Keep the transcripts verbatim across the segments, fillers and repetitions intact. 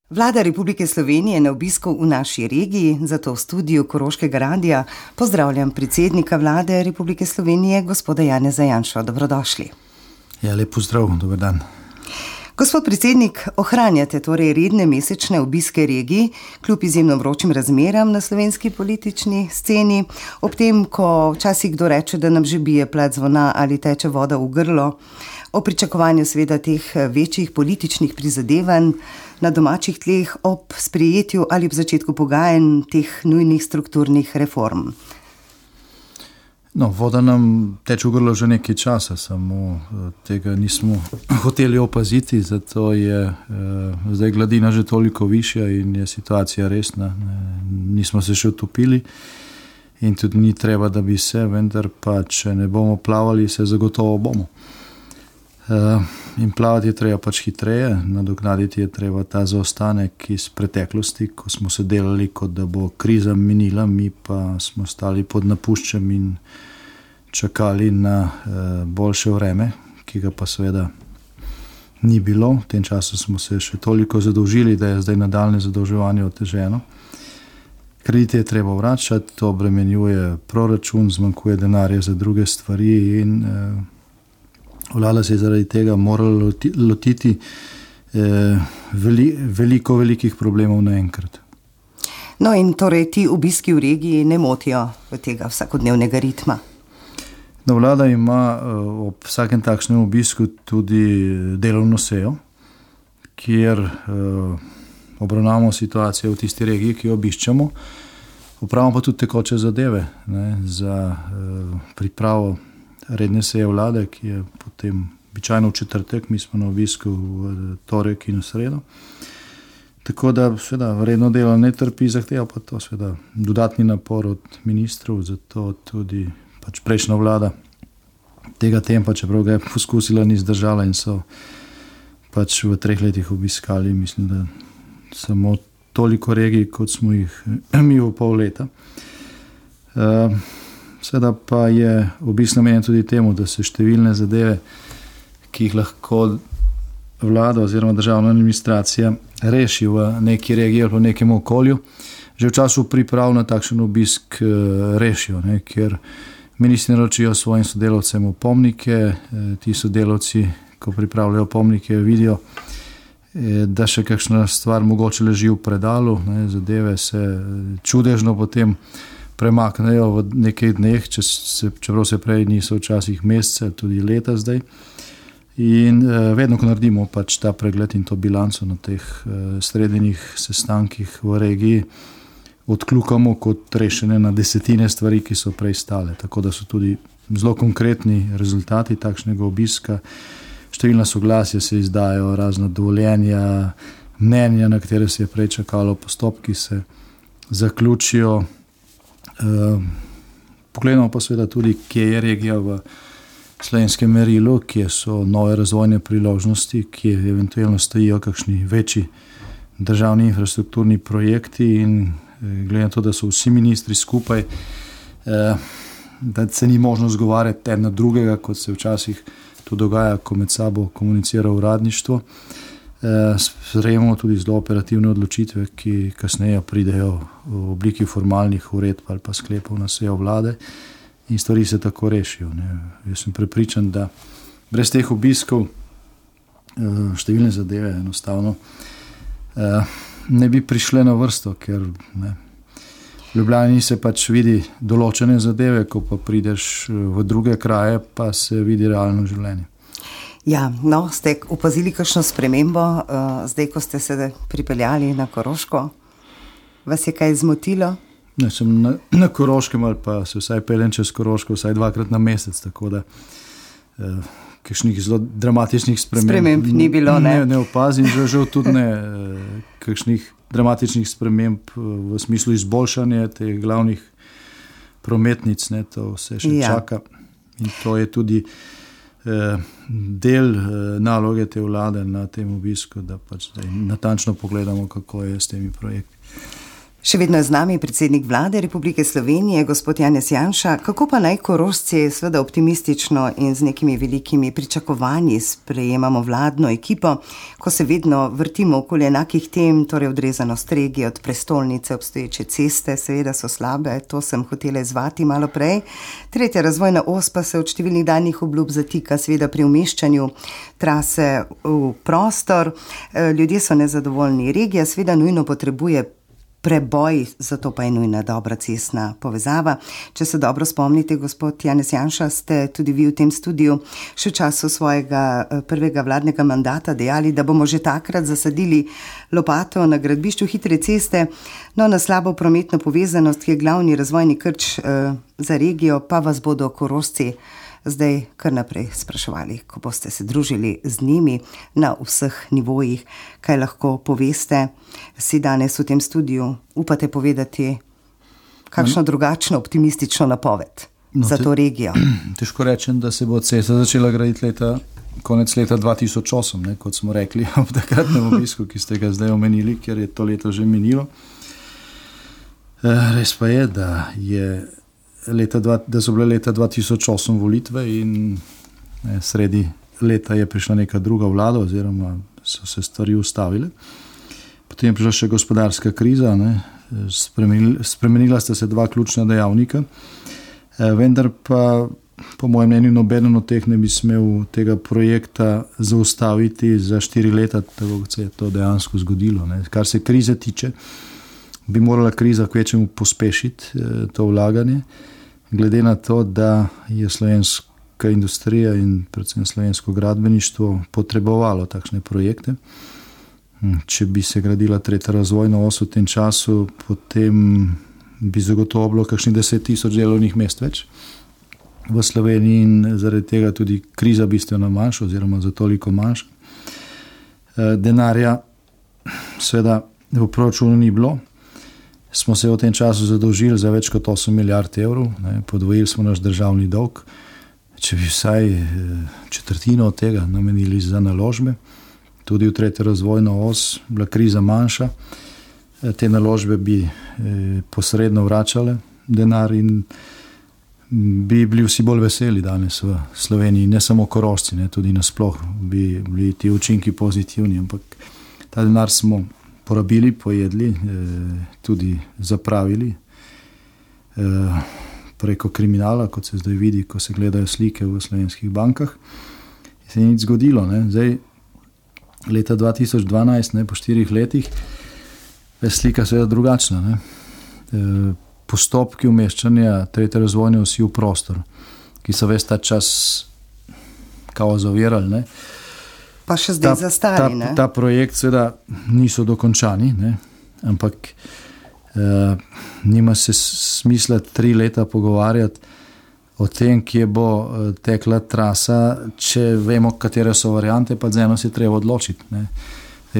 Vlada Republike Slovenije je na obisku v naši regiji, zato v studiu Koroškega radia pozdravljam predsednika Vlade Republike Slovenije, gospoda Janeza Janšo. Dobrodošli. Ja, lep pozdrav, dober dan. Gospod predsednik, ohranjate torej redne mesečne obiske regiji, kljub izjemno vročim razmeram na slovenski politični sceni, ob tem, ko včasih kdo reče, da nam že bije plat zvona ali teče voda v grlo, o pričakovanju seveda teh večjih političnih prizadevanj na domačih tleh ob sprejetju ali ob začetku pogajanj teh nujnih strukturnih reform. No, voda nam teče v grlo že nekaj časa, samo tega nismo hoteli opaziti, zato je eh, zdaj gladina že toliko višja in je situacija resna. Nismo se še utopili in tudi ni treba, da bi se, vendar pa, če ne bomo plavali, se zagotovo bomo. Uh, in plavati je treba pač hitreje, nadoknaditi je treba ta zaostanek iz preteklosti, ko smo se delali, kot da bo kriza minila, mi pa smo stali pod napuščem in čakali na uh, boljše vreme, ki ga pa seveda ni bilo. V tem času smo se še toliko zadolžili, da je zdaj nadaljne zadolževanje oteženo. Kredite je treba vračati, to obremenjuje proračun, zmanjkuje denarja za druge stvari in uh, Vlada se je zaradi tega morala lotiti eh, veli, veliko velikih problemov naenkrat. No in torej ti obiski v regiji ne motijo v tega vsakodnevnega ritma? No, vlada ima eh, ob vsakem takšnem obisku tudi delovno sejo, kjer eh, obravnavamo situacijo v tisti regiji, ki jo obiščemo, opravimo pa tudi tekoče zadeve, ne, za eh, pripravo redne seje vlade, ki je potem običajno v četrtek, mi smo na obisku v torek in v sredo. Tako da seveda redno delo ne trpi, zahteva pa to seveda dodatni napor od ministrov, zato tudi pač prejšnja vlada tega tempa, čeprav ga je poskusila, ni zdržala in so pač v treh letih obiskali, mislim, da samo toliko regij, kot smo jih mi v pol leta. Uh, Seveda pa je obisk namenjen tudi temu, da se številne zadeve, ki jih lahko vlada oziroma državna administracija reši v neki regiji ali v nekem okolju, že v času priprav na takšen obisk rešijo, ne, ker ministri naročijo svojim sodelavcem opomnike, ti sodelavci, ko pripravljajo opomnike, vidijo, da še kakšna stvar mogoče leži v predalu, ne, zadeve se čudežno potem premaknejo v nekaj dneh, če se, čeprav se prej niso včasih mesece, tudi leta zdaj. In eh, vedno, ko naredimo pač ta pregled in to bilanco na teh eh, srednjih sestankih v regiji, odkljukamo kot rešene na desetine stvari, ki so prej stale. Tako da so tudi zelo konkretni rezultati takšnega obiska. Številna soglasja se izdajo, razna dovoljenja, mnenja, na katere se je prej čakalo, postopki se zaključijo. Uh, pogledamo pa seveda tudi, kje je regija v slovenskem merilu, kje so nove razvojne priložnosti, kje eventualno stojijo kakšni večji državni infrastrukturni projekti in glede na to, da so vsi ministri skupaj, uh, da se ni možno zgovarjati en na drugega, kot se včasih to dogaja, ko med sabo komunicira uradništvo. Sprejemamo tudi zelo operativne odločitve, ki kasneje pridejo v obliki formalnih uredb ali pa sklepov na sejo vlade in stvari se tako rešijo. Ne. Jaz sem prepričan, da brez teh obiskov številne zadeve enostavno ne bi prišle na vrsto, ker ne, v Ljubljani se pač vidi določene zadeve, ko pa prideš v druge kraje, pa se vidi realno življenje. Ja, no, ste opazili kakšno spremembo, uh, zdaj, ko ste se pripeljali na Koroško? Vas je kaj zmotilo? Ne, sem na, na Koroškem ali pa se vsaj peljem čez Koroško vsaj dvakrat na mesec, tako da uh, kakšnih zelo dramatičnih sprememb, sprememb ni bilo, ne? Ne, ne opazim, že, že tudi ne uh, kakšnih dramatičnih sprememb uh, v smislu izboljšanja teh glavnih prometnic, ne, to vse še ja. čaka in to je tudi del naloge te vlade na tem obisku, da pač natančno pogledamo, kako je s temi projekti. Še vedno je z nami predsednik vlade Republike Slovenije, gospod Janez Janša. Kako pa naj Korošci seveda optimistično in z nekimi velikimi pričakovanji sprejemamo vladno ekipo, ko se vedno vrtimo okoli enakih tem, torej odrezanost regije od prestolnice, obstoječe ceste, seveda so slabe, to sem hotela izvati malo prej. Tretja razvojna os pa se od številnih danih obljub zatika, seveda pri umeščanju trase v prostor. Ljudje so nezadovoljni, regija seveda nujno potrebuje preboj, zato pa je nujna dobra cestna povezava. Če se dobro spomnite, gospod Janez Janša, ste tudi vi v tem studiu še v času svojega prvega vladnega mandata dejali, da bomo že takrat zasadili lopato na gradbišču hitre ceste, no na slabo prometno povezanost, ki je glavni razvojni krč eh, za regijo, pa vas bodo Korošci zdaj kar naprej spraševali, ko boste se družili z njimi na vseh nivojih, kaj lahko poveste. Si danes v tem studiu upate povedati kakšno drugačno optimistično napoved no, za to regijo? Težko rečem, da se bo cesta začela graditi leta, konec leta dva tisoč osem, ne, kot smo rekli ob takratnem obisku, ki ste ga zdaj omenili, ker je to leto že minilo. Res pa je, da je Leta dva, da so bile leta dva tisoč osem volitve in ne, sredi leta je prišla neka druga vlada oziroma so se stvari ustavile. Potem je prišla še gospodarska kriza, ne, spremenila, spremenila sta se dva ključna dejavnika, e, vendar pa po mojem mnenju nobeden od teh ne bi smel tega projekta zaustaviti za štiri leta, tako kot se je to dejansko zgodilo. Ne. Kar se krize tiče, bi morala kriza kvečemu pospešiti e, to vlaganje, glede na to, da je slovenska industrija in predvsem slovensko gradbeništvo potrebovalo takšne projekte. Če bi se gradila tretja razvojna os v tem času, potem bi zagotovo bilo kakšnih deset tisoč delovnih mest več v Sloveniji in zaradi tega tudi kriza bistveno manjša oziroma za toliko manjša. E, denarja seveda v proračunu ni bilo. Smo se v tem času zadolžili za več kot osem milijard evrov, ne, podvojili smo naš državni dolg. Če bi vsaj četrtino od tega namenili za naložbe, tudi v tretjo razvojno os, bila kriza manjša, te naložbe bi eh, posredno vračale denar in bi bili vsi bolj veseli danes v Sloveniji, ne samo Korošci, ne, tudi nasploh bi bili ti učinki pozitivni, ampak ta denar smo porabili, pojedli, tudi zapravili preko kriminala, kot se zdaj vidi, ko se gledajo slike v slovenskih bankah. Se je nič zgodilo. Ne. Zdaj, leta dva tisoč dvanajst, ne, po štirih letih, je slika seveda drugačna. Ne. Postopki umeščanja tretje razvojne osi v prostor, ki so ves ta čas kao zavirali, ne, pa še zdaj ta, zastari, ne? Ta, ta projekt seveda niso dokončani, ne? Ampak eh, nima se smisla tri leta pogovarjati o tem, kje bo eh, tekla trasa, če vemo, katere so variante, pa z eno se treba odločiti. Ne?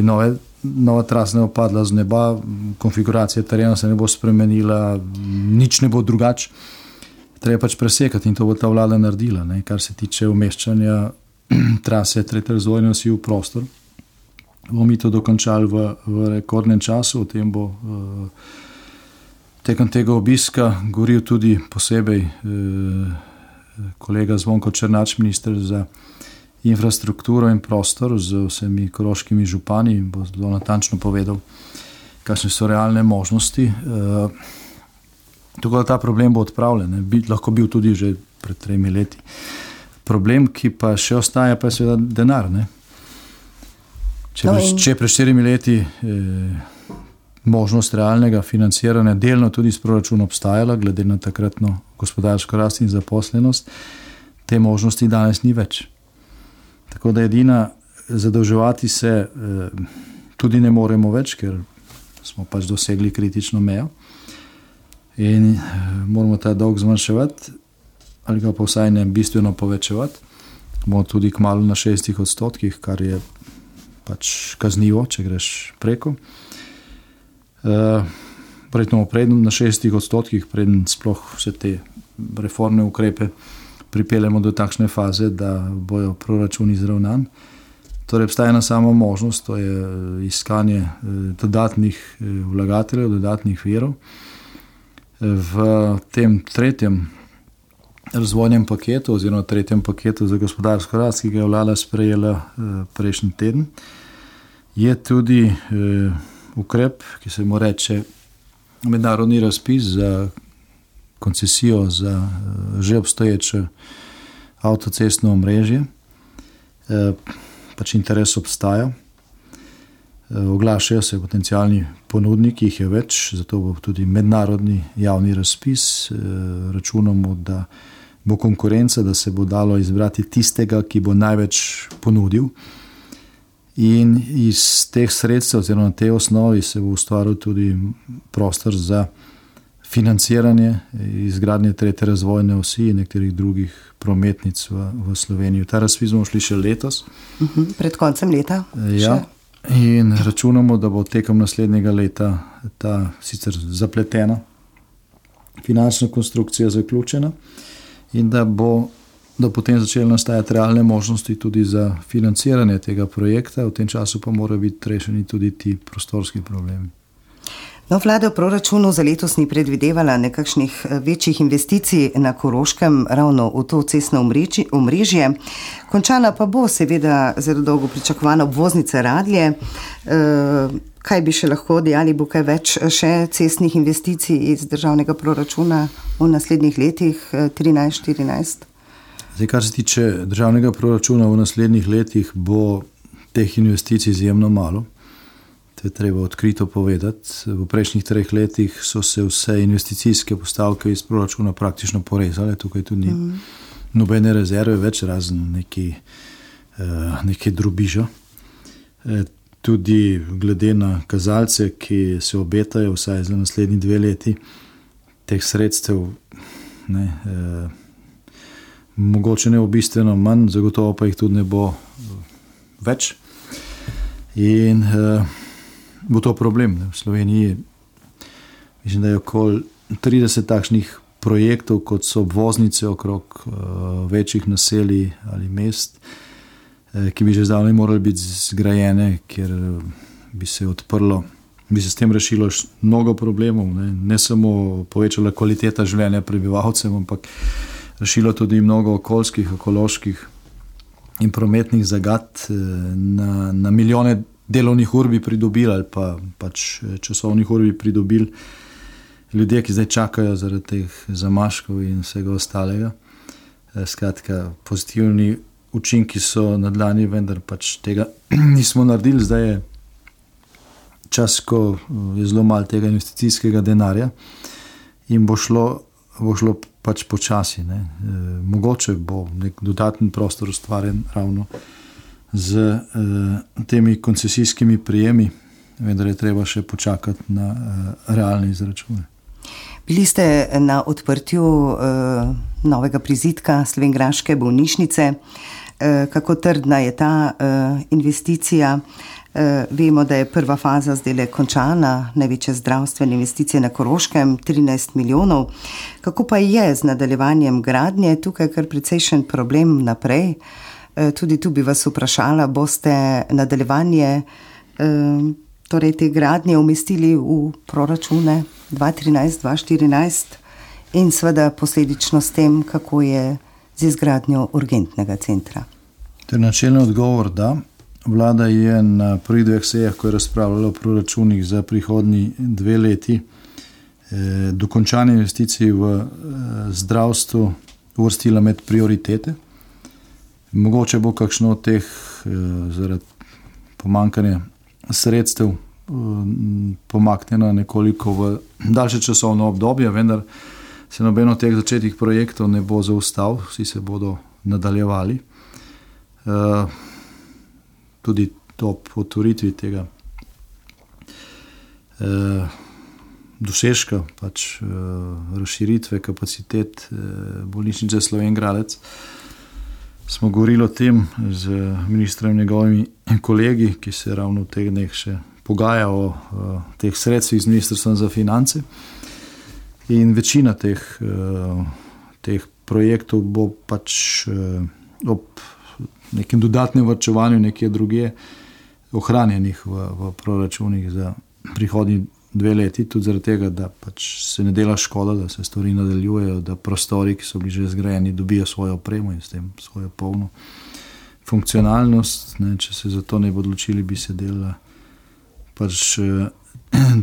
Nove, nova trasa ne bo padla z neba, konfiguracija terena se ne bo spremenila, nič ne bo drugače. Treba pač presekati in to bo ta vlada naredila, ne? Kar se tiče umeščanja trase tretje razvojne osi v prostor. Bomo mi to dokončali v, v rekordnem času, o tem bo uh, tekom tega obiska govoril tudi posebej uh, kolega Zvonko Černač, minister za infrastrukturo in prostor z vsemi koroškimi župani, bo zelo natančno povedal, kakšne so realne možnosti. Uh, tako da ta problem bo odpravljen, bi lahko bil tudi že pred tremi leti. Problem, ki pa še ostaja, pa je seveda denar. Ne? Če, no in... če pred štirimi leti eh, možnost realnega financiranja delno tudi s proračunom obstajala, glede na takratno gospodarsko rast in zaposlenost, te možnosti danes ni več. Tako da edina zadolževati se eh, tudi ne moremo več, ker smo pač dosegli kritično mejo in eh, moramo ta dolg zmanjševati, ali ga pa vsaj ne bistveno povečevati. Bomo tudi kmalu na šestih odstotkih, kar je pač kaznivo, če greš preko. Uh, Predno predno na šestih odstotkih, preden sploh vse te reformne ukrepe pripeljemo do takšne faze, da bojo proračuni izravnani. Torej, obstaja ena sama možnost, to je iskanje dodatnih vlagateljev, dodatnih virov. V tem tretjem razvojnem paketu oziroma tretjem paketu za gospodarsko rast, ki ga je vlada sprejela prejšnji teden, je tudi ukrep, ki se mu reče mednarodni razpis za koncesijo za že obstoječe avtocestno omrežje. Pač interes obstaja. Oglašajo se potencialni ponudniki, jih je več, zato bo tudi mednarodni javni razpis. Računamo, da bo konkurenca, da se bo dalo izbrati tistega, ki bo največ ponudil. In iz teh sredstev, oziroma na tej osnovi, se bo ustvaril tudi prostor za financiranje izgradnje tretje razvojne osi in nekaterih drugih prometnic v, v Sloveniji. Ta razpis bomo šli še letos. Uh-huh, pred koncem leta? Ja. In računamo, da bo tekom naslednjega leta ta sicer zapletena finančna konstrukcija zaključena in da bo da potem začeli nastajati realne možnosti tudi za financiranje tega projekta. V tem času pa mora biti rešeni tudi ti prostorski problemi. No, vlada v proračunu za letos ni predvidevala nekakšnih večjih investicij na Koroškem ravno v to cestno omrežje. Končana pa bo seveda zelo dolgo pričakovana obvoznica Radlje. E, kaj bi še lahko dejali, bo kaj več še cestnih investicij iz državnega proračuna v naslednjih letih trinajst štirinajst? Zdaj, kar se tiče državnega proračuna v naslednjih letih, bo teh investicij izjemno malo. To je treba odkrito povedati. V prejšnjih treh letih so se vse investicijske postavke iz proračuna praktično porezale. Tukaj tudi ni mm. nobene rezerve več, razen neki, neki drobiža. Tudi glede na kazalce, ki se obetajo vsaj za naslednji dve leti, teh sredstev ne, eh, mogoče ne bo bistveno manj, zagotovo pa jih tudi ne bo več. In eh, bo to problem. Ne? V Sloveniji mislim, da je okoli trideset takšnih projektov, kot so obvoznice okrog uh, večjih naselij ali mest, eh, ki bi že zdavnaj morali biti zgrajene, ker bi se odprlo, bi se s tem rešilo mnogo problemov. Ne, ne samo povečala kvaliteta življenja prebivalcev, ampak rešilo tudi mnogo okoljskih, ekoloških in prometnih zagat. Eh, na, na milijone delovnih ur bi pridobili ali pa pač časovnih ur bi pridobili ljudje, ki zdaj čakajo zaradi teh zamaškov in vsega ostalega. Skratka, pozitivni učinki so na dlani, vendar pač tega nismo naredili. Zdaj je čas, ko je zelo malo tega investicijskega denarja in bo šlo, bo šlo pač počasi. Ne. E, mogoče bo nek dodaten prostor ustvarjen ravno z uh, temi koncesijskimi prijemi, vendar je treba še počakati na uh, realne izračune. Bili ste na odprtju uh, novega prizidka slovenjgraške bolnišnice. Uh, kako trdna je ta uh, investicija? Uh, vemo, da je prva faza zdaj končana, največje zdravstvene investicije na Koroškem, trinajst milijonov. Kako pa je z nadaljevanjem gradnje? Tukaj je kar precejšen problem naprej. Tudi tu bi vas vprašala, boste nadaljevanje torej te gradnje umestili v proračune dva trinajst dva štirinajst in seveda posledično s tem, kako je z izgradnjo urgentnega centra? To je načelni odgovor, da. Vlada je na prvih dveh sejah, ko je razpravljala o proračunih za prihodnji dve leti, eh, dokončanje investicij v eh, zdravstvu uvrstila med prioritete. Mogoče bo kakšno od teh eh, zaradi pomankanja sredstev eh, pomaknjeno nekoliko v daljše časovno obdobje, vendar se nobeno od teh začetih projektov ne bo zaustavil, vsi se bodo nadaljevali. Eh, tudi to potvoritvi tega eh, dosežka, pač eh, razširitve kapacitet eh, bolnišnice Slovenjgradec, smo govorili o tem z ministrom in njegovimi kolegi, ki se ravno v teh dneh še pogaja o, o teh sredstvih z Ministrstvom za finance. In večina teh, teh projektov bo pač ob nekem dodatnem varčevanju nekje drugje ohranjenih v, v proračunih za prihodnji dve leti, tudi zaradi tega, da pač se ne dela škoda, da se stvari nadaljujejo, da prostori, ki so bili že zgrajeni, dobijo svojo opremo in s tem svojo polno funkcionalnost. Ne, če se za to ne bi odločili, bi se delala pač eh,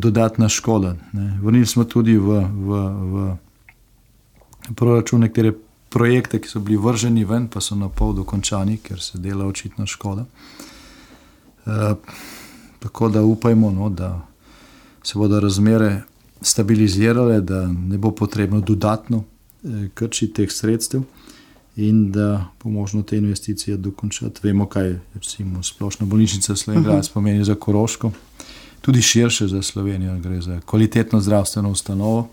dodatna škoda. Ne. Vrnili smo tudi v, v, v proračun nekatere projekte, ki so bili vrženi ven, pa so na pol dokončani, ker se dela očitno škoda. E, tako da upajmo, no, da se bodo razmere stabilizirale, da ne bo potrebno dodatno eh, krčiti teh sredstev in da bo možno te investicije dokončati. Vemo, kaj recimo splošna bolnišnica Slovenj Gradec pomeni za Koroško, tudi širše za Slovenijo, gre za kvalitetno zdravstveno ustanovo.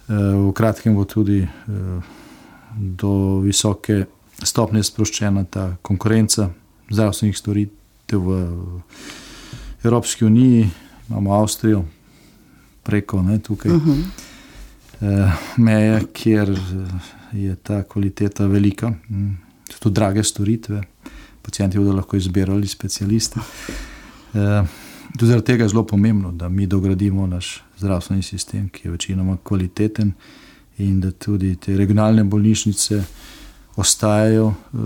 Eh, v kratkem bo tudi eh, do visoke stopnje sproščena ta konkurenca zdravstvenih storitev v Evropski uniji. Imamo Avstrijo preko, ne, tukaj uh-huh. eh, meje, kjer je ta kvaliteta velika, so to drage storitve, pacijenti bodo lahko izbirali specialiste. Eh, tudi zaradi tega je zelo pomembno, da mi dogradimo naš zdravstveni sistem, ki je večinoma kvaliteten in da tudi te regionalne bolnišnice ostajajo eh,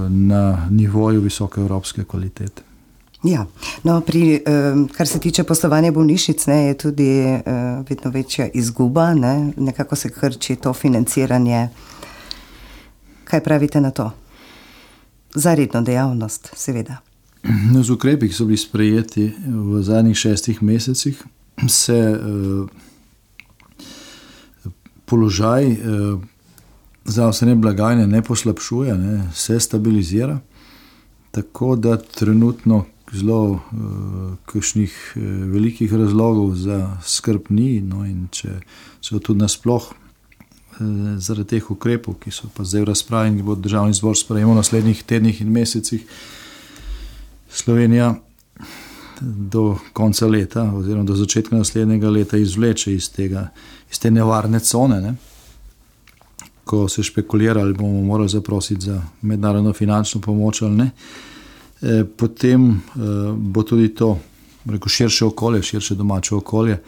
na nivoju visoke evropske kvalitete. Ja, no, pri, kar se tiče poslovanja bolnišnic, ne, je tudi vedno večja izguba, ne, nekako se krči to financiranje. Kaj pravite na to? Za redno dejavnost, seveda. No, z ukrepi, ki so bili sprejeti v zadnjih šestih mesecih, se eh, položaj eh, zdravstvene blagajne ne poslabšuje, ne, se stabilizira, tako da trenutno zelo uh, kakšnih uh, velikih razlogov za skrb ni, no, in če so tudi nasploh uh, zaradi teh ukrepov, ki so pa zdaj v razpravi in bo državni zbor sprejemal v naslednjih tednih in mesecih, Slovenija do konca leta oziroma do začetka naslednjega leta izvleče iz tega, iz te nevarne cone, ne, ko se špekulira, ali bomo morali zaprositi za mednarodno finančno pomoč ali ne. Potem bo tudi to, rekel, širše okolje, širše domače okolje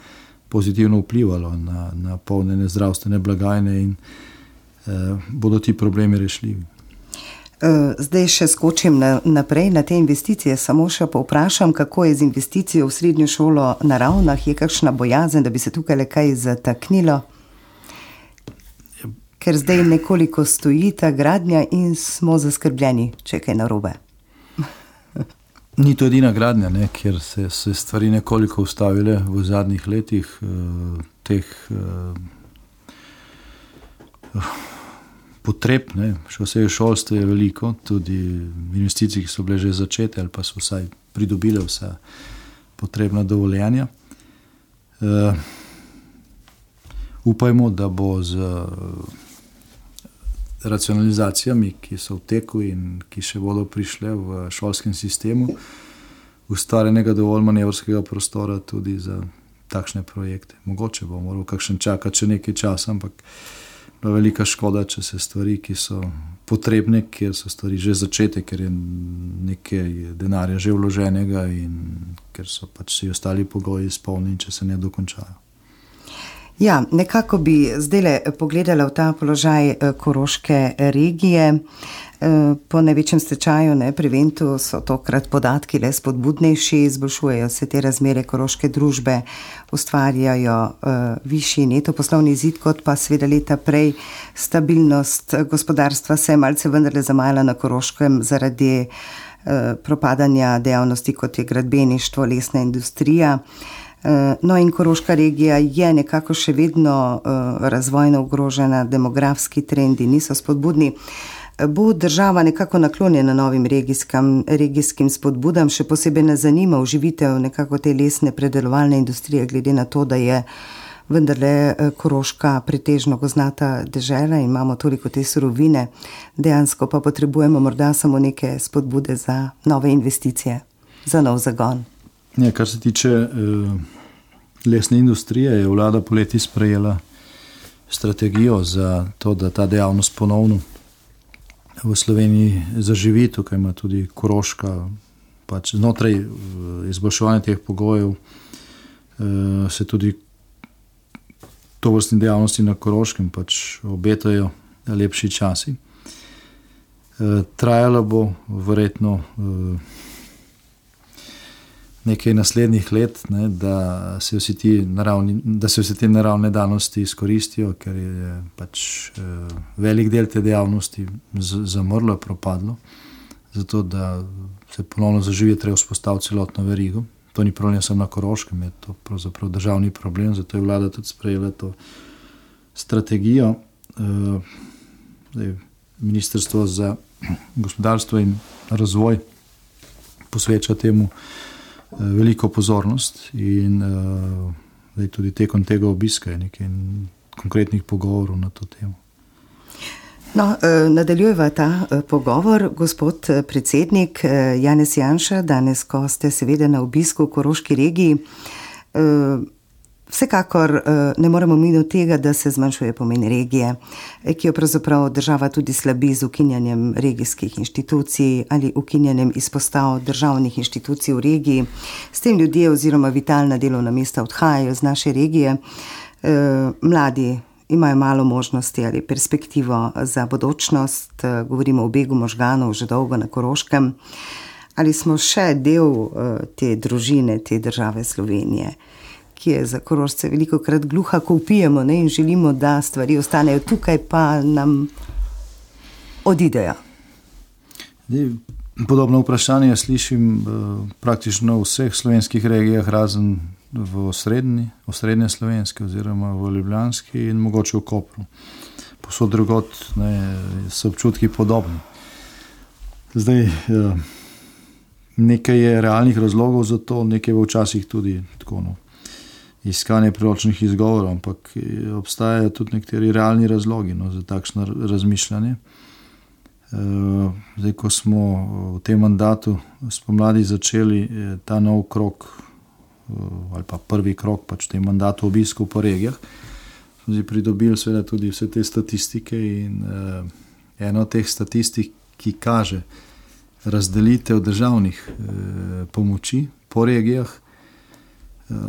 pozitivno vplivalo na, na polnjenje zdravstvene blagajne in eh, bodo ti problemi rešljivi. Zdaj še skočim na, naprej na te investicije, samo še povprašam, kako je z investicijo v srednjo šolo na Ravnah, je kakšna bojazen, da bi se tukaj le kaj zataknilo? Ker zdaj nekoliko stoji ta gradnja in smo zaskrbljeni, če je kaj narobe. Ni to edina gradnja, ne, kjer se, se stvari nekoliko ustavile v zadnjih letih. Eh, teh eh, potreb, ne, še vse šolstvo je veliko, tudi investicij, ki so bile že začete ali pa so vsaj pridobile vsa potrebna dovoljenja. Eh, upajmo, da bo z racionalizacijami, ki so v teku in ki še bodo prišle v šolskem sistemu, ustvarjenega dovolj manevrskega prostora tudi za takšne projekte. Mogoče bo moral kakšen čakati še nekaj časa, ampak je velika škoda, če se stvari, ki so potrebne, kjer so stvari že začete, ker je nekaj denarja že vloženega in ker so pač vsi ostali pogoji izpolnjeni, če se ne dokončajo. Ja, nekako bi zdaj pogledala v ta položaj koroške regije. Po največjem stečaju, ne, pri Ventu so tokrat podatki le spodbudnejši, izboljšujejo se te razmere koroške družbe, ustvarjajo uh, višji neto poslovni izid, kot pa seveda leta prej. Stabilnost gospodarstva se je malce vendarle zamajala na Koroškem zaradi uh, propadanja dejavnosti, kot je gradbeništvo, lesna industrija. No in koroška regija je nekako še vedno uh, razvojno ogrožena, demografski trendi niso spodbudni. Bo država nekako naklonjena novim regijskim, regijskim spodbudam, še posebej nas zanima oživitev nekako te lesne predelovalne industrije, glede na to, da je vendarle Koroška pretežno gozdnata dežela in imamo toliko te surovine, dejansko pa potrebujemo morda samo neke spodbude za nove investicije, za nov zagon. Ja, kar se tiče eh, lesne industrije, je vlada poleti sprejela strategijo za to, da ta dejavnost ponovno v Sloveniji zaživi, tukaj ima tudi Koroška, pač znotraj izboljševanja teh pogojev se tudi tovrstne dejavnosti na Koroškem pač obetajo lepši časi. Trajalo bo verjetno nekaj naslednjih let, ne, da se vsi ti naravni, da se vse te naravne danosti izkoristijo, ker je pač velik del te dejavnosti zamrlo, propadlo, zato da se ponovno zaživi, treba vzpostaviti celotno verigo. To ni problem samo na Koroškem, je to pravzaprav državni problem, zato je vlada tudi sprejela to strategijo. Ministrstvo za gospodarstvo in razvoj posveča temu veliko pozornost in uh, tudi tekom tega obiska je nekaj konkretnih pogovorov na to temo. No, nadaljujeva ta pogovor, gospod predsednik Janez Janša, danes, ko ste seveda na obisku v Koroški regiji, vsekakor ne moremo miniti tega, da se zmanjšuje pomen regije, ki jo pravzaprav država tudi slabi z ukinjanjem regijskih inštitucij ali ukinjanjem izpostav državnih inštitucij v regiji. S tem ljudje oziroma vitalna delovna mesta odhajajo z naše regije. Mladi imajo malo možnosti ali perspektivo za bodočnost, govorimo o begu možganov že dolgo na Koroškem. Ali smo še del te družine, te države Slovenije, ki je za Korošce veliko krat gluha, ko vpijemo, ne, in želimo, da stvari ostanejo tukaj, pa nam odidejo. Podobno vprašanje slišim praktično v vseh slovenskih regijah, razen v osrednji, osrednje slovenski oziroma v ljubljanski in mogoče v Kopru. Posod drugot, ne, so občutki podobni. Zdaj, nekaj je realnih razlogov za to, nekaj je včasih tudi tako, no, iskanje priročnih izgovorov, ampak obstajajo tudi nekateri realni razlogi, no, za takšno razmišljanje. Zdaj, ko smo v tem mandatu spomladi začeli ta nov krok ali pa prvi krok pač v tem mandatu obiskov po regijah, smo si pridobili seveda tudi vse te statistike in uh, ena od teh statistik, ki kaže razdelitev državnih uh, pomoči po regijah, uh,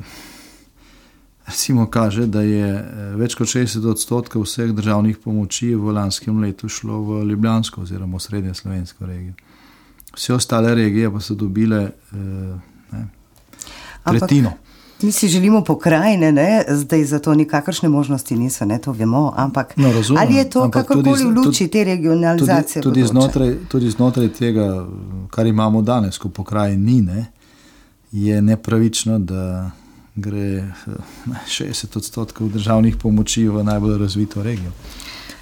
recimo kaže, da je več kot šestdeset odstotkov vseh državnih pomoči v lanskem letu šlo v ljubljansko oziroma v srednje slovensko regijo. Vse ostale regije pa so dobile uh, ne, tretjino. Ampak mi si želimo pokrajine, ne? Zdaj za to nikakršne možnosti niso, ne, to vemo, ampak no, razumem, ali je to kakorkoli v luči tudi, te regionalizacije? Tudi, tudi, znotraj, tudi znotraj tega, kar imamo danes, ko pokrajin ni, ne, je nepravično, da gre šestdeset odstotkov državnih pomoči v najbolj razvito regijo.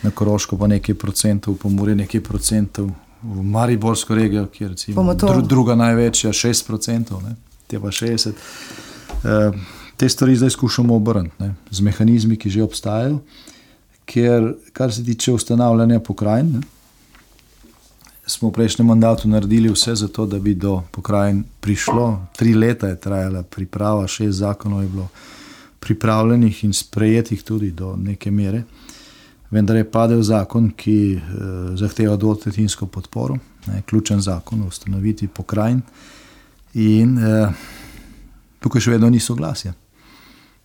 Na Koroško pa nekaj procentov, v Pomurje nekaj procentov, v Mariborsko regijo, ki je recimo dru, druga največja, šest procentov, ne, te pa šestdeset. E, te stvari zdaj skušamo obrniti, ne, z mehanizmi, ki že obstajajo, ker kar se tiče ustanavljanja pokrajin, ne, smo v prejšnjem mandatu naredili vse za to, da bi do pokrajin prišlo. Tri leta je trajala priprava, šest zakonov je bilo pripravljenih in sprejetih tudi do neke mere. Vendar je padel zakon, ki eh, zahteva dvotretjinsko podporo, ne, ključen zakon o ustanovitvi pokrajin. In eh, tukaj še vedno ni soglasja.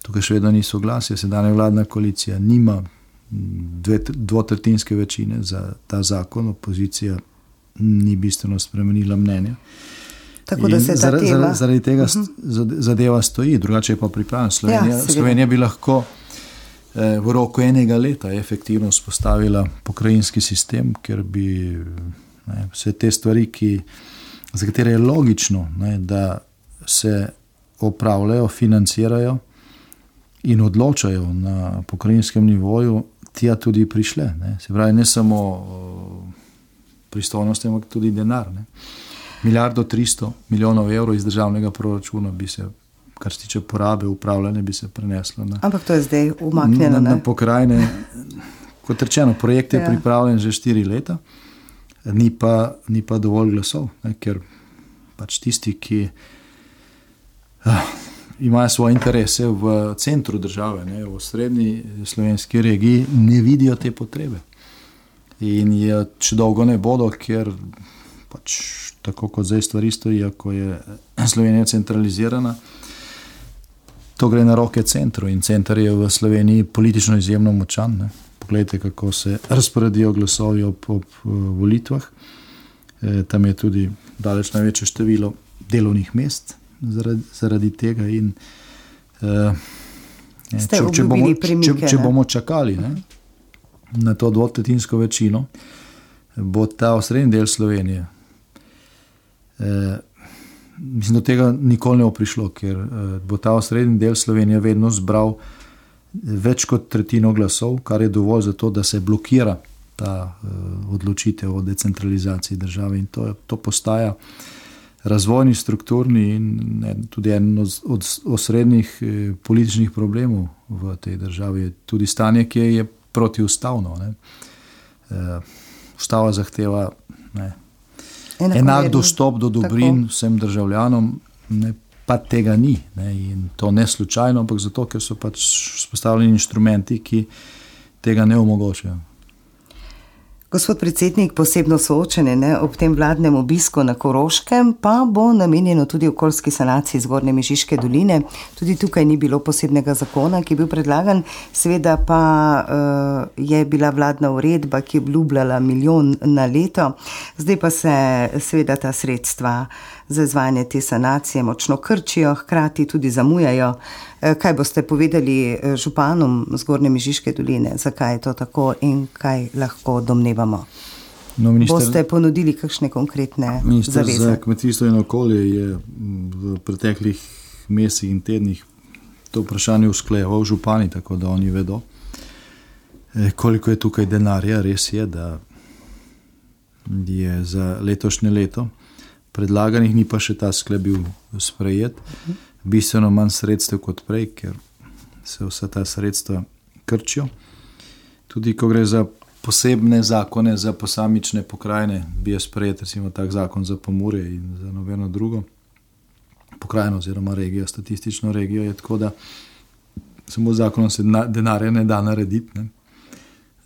Tukaj še vedno ni soglasja. Sedanja vladna koalicija nima dve, dvotretjinske večine za ta zakon, opozicija ni bistveno spremenila mnenja. Tako da se ta zaradi, tema... zaradi tega uh-huh. zadeva stoji, drugače je pa pripravljena. Slovenija, ja, Slovenija bi lahko eh, v roku enega leta efektivno spostavila pokrajinski sistem, ker bi ne, vse te stvari, ki, za katere je logično, ne, da se opravljajo, financirajo in odločajo na pokrajinskem nivoju, tja tudi prišle. Ne. Se pravi, ne samo pristojnosti, ampak tudi denar. Ne. Milijardo tristo milijonov evrov iz državnega proračuna bi se, kar se tiče porabe, upravljanja, bi se preneslo na, ampak to je zdaj umaknjeno, na, na pokrajine. Kot rečeno, projekt je ja. pripravljen že štiri leta, ni pa, ni pa dovolj glasov, ne, ker pač tisti, ki ah, imajo svoje interese v centru države, ne, v srednji slovenski regiji, ne vidijo te potrebe. In je še dolgo ne bodo, ker pač tako kot zdaj stvari stojijo, ko je Slovenija centralizirana, to gre na roke centru in center je v Sloveniji politično izjemno močan. Ne. Poglejte, kako se razporedijo glasovi ob, ob volitvah. E, tam je tudi daleč največje število delovnih mest zaradi, zaradi tega in e, če, če, bomo, če, če bomo čakali, ne, na to dvotretinsko večino, bo ta osrednji del Slovenije. Eh, mislim, do tega nikoli ne bo prišlo, ker eh, bo ta osrednji del Slovenije vedno zbral več kot tretjino glasov, kar je dovolj za to, da se blokira ta eh, odločitev o decentralizaciji države in to, to postaja razvojni, strukturni in ne, tudi en od, od osrednjih eh, političnih problemov v tej državi. Tudi stanje, ki je protiustavno. Ne. Uh, ustava zahteva ne, enak dostop do dobrin tako vsem državljanom, ne, pa tega ni. Ne, in to ne slučajno, ampak zato, ker so pač vzpostavljeni inštrumenti, ki tega ne omogočajo. Gospod predsednik, posebno soočenje ne, ob tem vladnem obisku na Koroškem pa bo namenjeno tudi okoljski sanaciji Zgornje Mežiške doline. Tudi tukaj ni bilo posebnega zakona, ki je bil predlagan, seveda pa uh, je bila vladna uredba, ki je obljubljala milijon na leto. Zdaj pa se seveda ta sredstva za izvajanje te sanacije močno krčijo, hkrati tudi zamujajo. Kaj boste povedali županom Zgornje Mežiške doline, zakaj je to tako in kaj lahko domnevamo? No, minister, boste ponudili kakšne konkretne minister zaveze? Minister za kmetijstvo in okolje je v preteklih mesecih in tednih to vprašanje usklajeval župani, tako da oni vedo, koliko je tukaj denarja. Res je, da je za letošnje leto predlaganih, ni pa še ta sklep bil sprejet, bistveno manj sredstev kot prej, ker se vsa ta sredstva krčijo. Tudi ko gre za posebne zakone za posamične pokrajine, bi je sprejet recimo tak zakon za Pomurje in za nobeno drugo pokrajino oziroma regijo, statistično regijo je tako, da samo zakonom se denarja ne da narediti. Ne.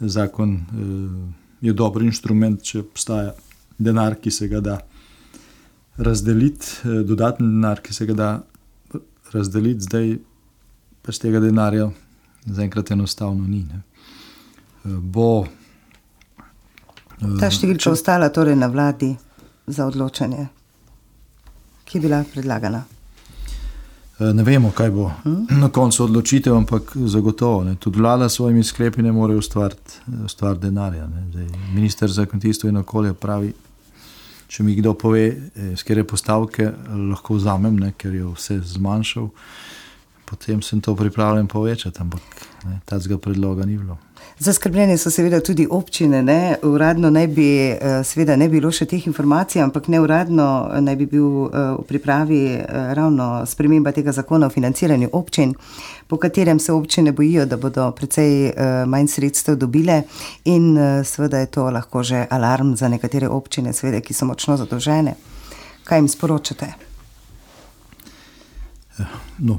Zakon eh, je dober inštrument, če obstaja denar, ki se ga da razdeliti, eh, dodatni denar, ki se ga da razdeliti, zdaj pač tega denarja zaenkrat enostavno ni. Ne. Bo ta številka ostala torej na vladi za odločanje, ki je bila predlagana? Ne vemo, kaj bo hmm? na koncu odločitev, ampak zagotovo. Ne. Tudi vlada s svojimi sklepi ne more ustvariti ustvar denarja. Ne. Zdaj, minister za kmetijstvo in okolje pravi, če mi kdo pove, s katere postavke lahko vzamem, ne, ker je vse zmanjšal, potem sem to pripravljen povečati, ampak ne, tacega predloga ni bilo. Zaskrbljene so seveda tudi občine, ne? Uradno naj bi, seveda ne bilo še teh informacij, ampak neuradno naj bi bil v pripravi ravno sprememba tega zakona o financiranju občin, po katerem se občine bojijo, da bodo precej manj sredstev dobile in seveda je to lahko že alarm za nekatere občine, seveda, ki so močno zadolžene. Kaj jim sporočate? No,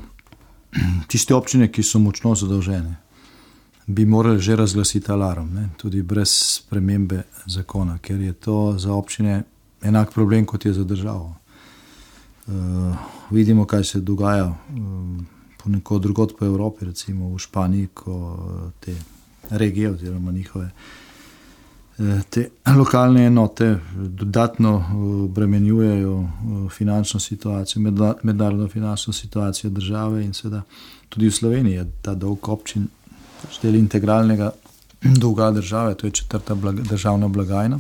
tiste občine, ki so močno zadolžene, bi morali že razglasiti alarm, ne? Tudi brez spremembe zakona, ker je to za občine enak problem, kot je za državo. Uh, vidimo, kaj se dogaja um, ponekod drugod po Evropi, recimo v Španiji, ko te regije oziroma njihove te lokalne enote dodatno obremenjujejo finančno situacijo, mednarodno finančno situacijo države in seveda tudi v Sloveniji je ta dolg občin del integralnega dolga države, to je četrta blaga, državna blagajna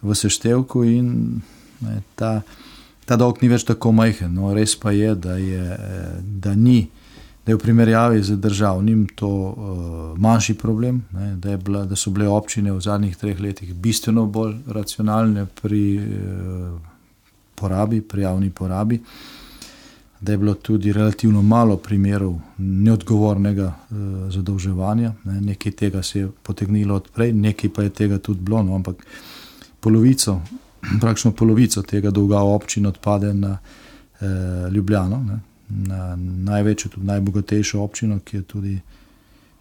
v seštevku in ne, ta, ta dolg ni več tako majhen. No, res pa je, da je, da ni, da je v primerjavi z državnim to uh, manjši problem, ne, da, je bila, da so bile občine v zadnjih treh letih bistveno bolj racionalne pri uh, porabi, pri javni porabi, da je bilo tudi relativno malo primerov neodgovornega uh, zadolževanja. Ne. Nekaj tega se je potegnilo odprej, nekaj pa je tega tudi bilo, no, ampak polovico, praktično polovico tega dolga občin odpade na uh, Ljubljano, ne, na največjo, tudi najbogatejšo občino, ki je tudi uh,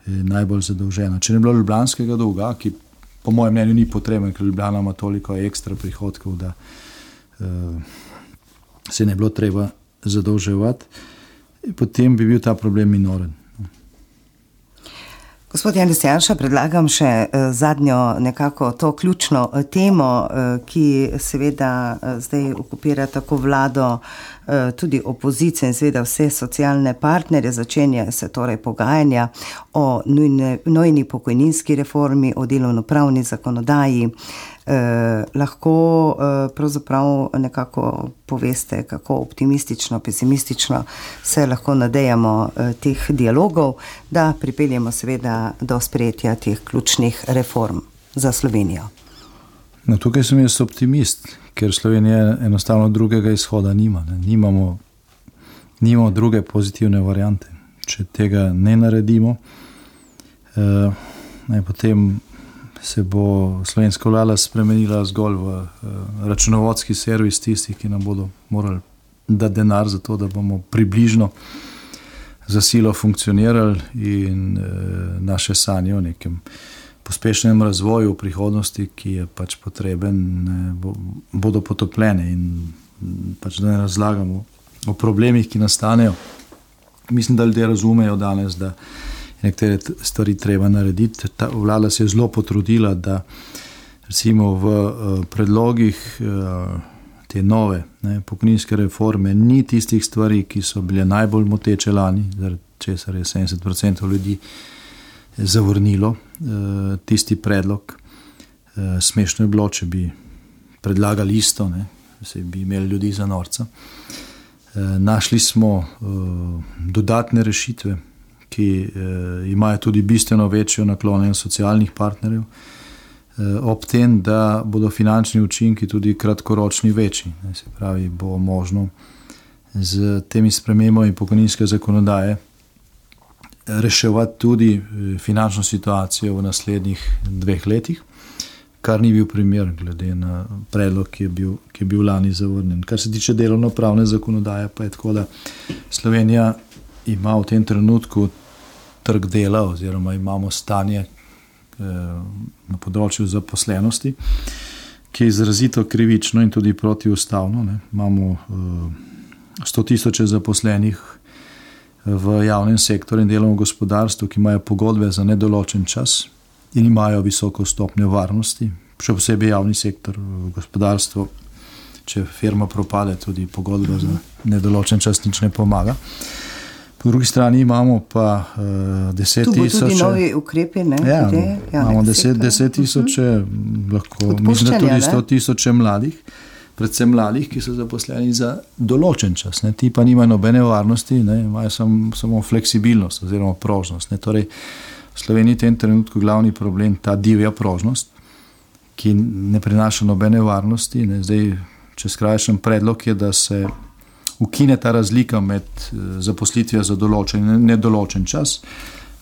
najbolj zadolžena. Če ne bilo ljubljanskega dolga, ki po mojem mnenju ni potreben, ker Ljubljana ima toliko ekstra prihodkov, da uh, se ne bilo treba zadolževati. Potem bi bil ta problem minoren. Gospod Janez Janša, predlagam še zadnjo nekako to ključno temo, ki seveda zdaj okupira tako vlado, tudi opozicijo in seveda vse socialne partnerje. Začenjajo se torej pogajanja o nujne, nujni pokojninski reformi, o delovnopravni zakonodaji. Eh, lahko eh, pravzaprav nekako poveste, kako optimistično, pesimistično se lahko nadejamo eh, teh dialogov, da pripeljemo seveda do sprejetja teh ključnih reform za Slovenijo. No, tukaj sem jaz optimist, ker Slovenija enostavno drugega izhoda nima. Ne. Nimamo, nimamo druge pozitivne variante. Če tega ne naredimo, eh, ne, potem se bo slovenska vlada spremenila zgolj v uh, računovodski servis tistih, ki nam bodo morali dati denar za to, da bomo približno za silo funkcionirali in uh, naše sanje o nekem pospešenem razvoju v prihodnosti, ki je pač potreben, ne, bo, bodo potopljene in pač da ne razlagamo o problemih, ki nastanejo. Mislim, da ljudje razumejo danes, da nekatere stvari treba narediti. Ta vlada se je zelo potrudila, da recimo v uh, predlogih uh, te nove ne, pokojninske reforme ni tistih stvari, ki so bile najbolj moteče lani, zaradi česar je sedemdeset procentov ljudi zavrnilo uh, tisti predlog. Uh, smešno je bilo, če bi predlagali isto, ne, se bi imeli ljudi za norca. Uh, našli smo uh, dodatne rešitve, ki eh, imajo tudi bistveno večjo naklonjenost socialnih partnerjev, eh, ob tem, da bodo finančni učinki tudi kratkoročni večji. Ne, se pravi, bo možno z temi spremembami pokojninske zakonodaje reševati tudi finančno situacijo v naslednjih dveh letih, kar ni bil primer glede na predlog, ki je bil, ki je bil lani zavrnjen. Kar se tiče delovnopravne zakonodaje, pa je tako, da Slovenija ima v tem trenutku trg dela oziroma imamo stanje eh, na področju zaposlenosti, ki je izrazito krivično in tudi protiustavno. Ne. Imamo eh, sto tisoče zaposlenih v javnem sektorju in delovnem gospodarstvu, ki imajo pogodbe za nedoločen čas in imajo visoko stopnjo varnosti, še posebej javni sektor, gospodarstvo, če firma propade, tudi pogodba za nedoločen čas nič ne pomaga. Po drugi strani imamo pa uh, deset tisoče... Tu bo tudi novi ukrepi, ne? Ja, no, imamo deset, deset tisoče, uh-huh. lahko, mislim, da tudi sto tisoče mladih, predvsem mladih, ki so zaposleni za določen čas. Ne? Ti pa nimajo nobene varnosti, ne? Imajo sam, samo fleksibilnost oziroma prožnost. Ne? Torej, v Sloveniji v tem trenutku glavni problem ta divja prožnost, ki ne prinaša nobene varnosti. Ne? Zdaj, če skrajšam, predlog je, da se ukine ta razlika med zaposlitvijo za določen in nedoločen čas,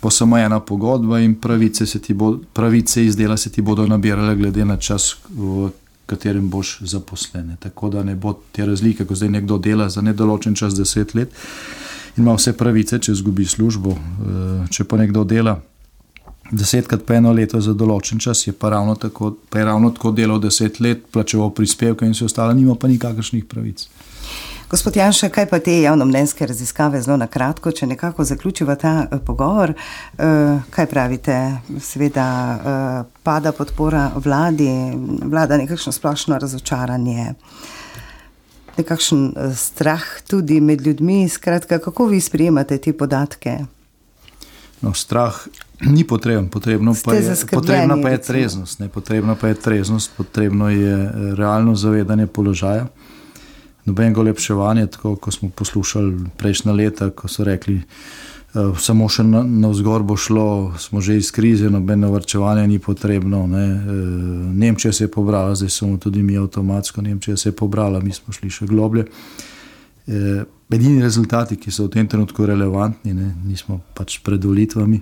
bo samo ena pogodba in pravice, se ti bo, pravice iz dela se ti bodo nabirale glede na čas, v katerem boš zaposlen. Tako da ne bo te razlike, ko zdaj nekdo dela za nedoločen čas deset let in ima vse pravice, če izgubi službo. Če pa nekdo dela desetkrat pa eno leto za določen čas, je pa ravno tako, pa je ravno tako delal deset let, plačeval prispevke in vse ostalo, nima pa nikakršnih pravic. Gospod Janša, kaj pa te javnomnenjske raziskave zelo na kratko, če nekako zaključiva ta uh, pogovor, uh, kaj pravite? Seveda uh, pada podpora vladi, vlada nekakšno splošno razočaranje, nekakšen uh, strah tudi med ljudmi, skratka, kako vi sprejemate te podatke? No, strah ni potreben, potrebno pa je, potrebna pa je treznost, ne, potrebna pa je treznost, potrebno je realno zavedanje položaja. Nobenega olepševanja, tako ko smo poslušali prejšnja leta, ko so rekli, uh, samo še na, navzgor bo šlo, smo že iz krize, nobeno varčevanje ni potrebno. Ne. Uh, Nemčija se je pobrala, zdaj smo tudi mi avtomatsko, Nemčija se je pobrala, mi smo šli še globlje. Uh, edini rezultati, ki so v tem trenutku relevantni, ne, nismo pač pred volitvami,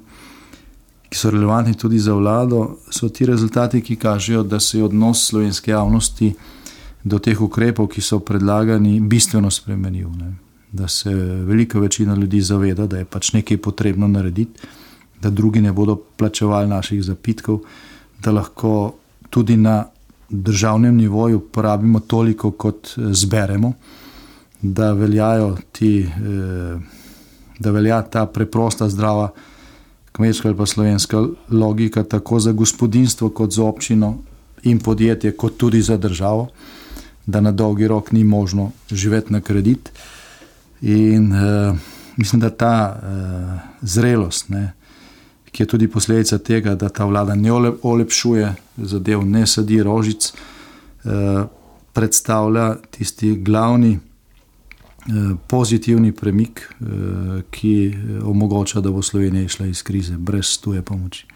ki so relevantni tudi za vlado, so ti rezultati, ki kažejo, da se je odnos slovenske javnosti do teh ukrepov, ki so predlagani, bistveno spremenil. Ne. Da se velika večina ljudi zaveda, da je pač nekaj potrebno narediti, da drugi ne bodo plačevali naših zapitkov, da lahko tudi na državnem nivoju porabimo toliko, kot zberemo, da veljajo ti, da velja ta preprosta, zdrava kmečka ali pa slovenska logika tako za gospodinjstvo, kot za občino in podjetje, kot tudi za državo, da na dolgi rok ni možno živeti na kredit. In uh, mislim, da ta uh, zrelost, ne, ki je tudi posledica tega, da ta vlada ne olepšuje zadev, ne sadi rožic, uh, predstavlja tisti glavni uh, pozitivni premik, uh, ki omogoča, da bo Slovenija išla iz krize brez tuje pomoči.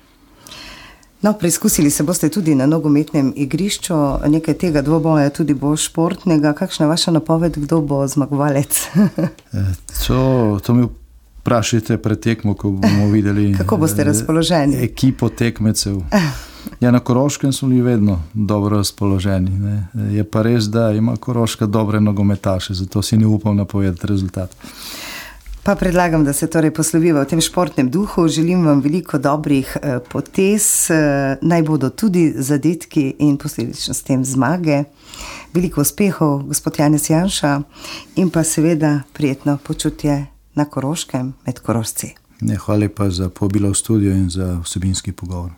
No, preizkusili se boste tudi na nogometnem igrišču, nekaj tega dvoboja tudi bo športnega. Kakšna je vaša napoved, kdo bo zmagovalec? to, to mi vprašajte pred tekmo, ko bomo videli kako boste razpoloženi? Ekipo tekmecev. Ja, na Koroškem smo bili vedno dobro razpoloženi. Ne. Je pa res, da ima Koroška dobre nogometaše, zato si ne upam napovedati rezultat. Pa predlagam, da se torej posloviva v tem športnem duhu. Želim vam veliko dobrih potez, naj bodo tudi zadetki in posledično s tem zmage. Veliko uspehov, gospod Janez Janša, in pa seveda prijetno počutje na Koroškem med Korošci. Ne, hvala lepa za povabilo v studio in za vsebinski pogovor.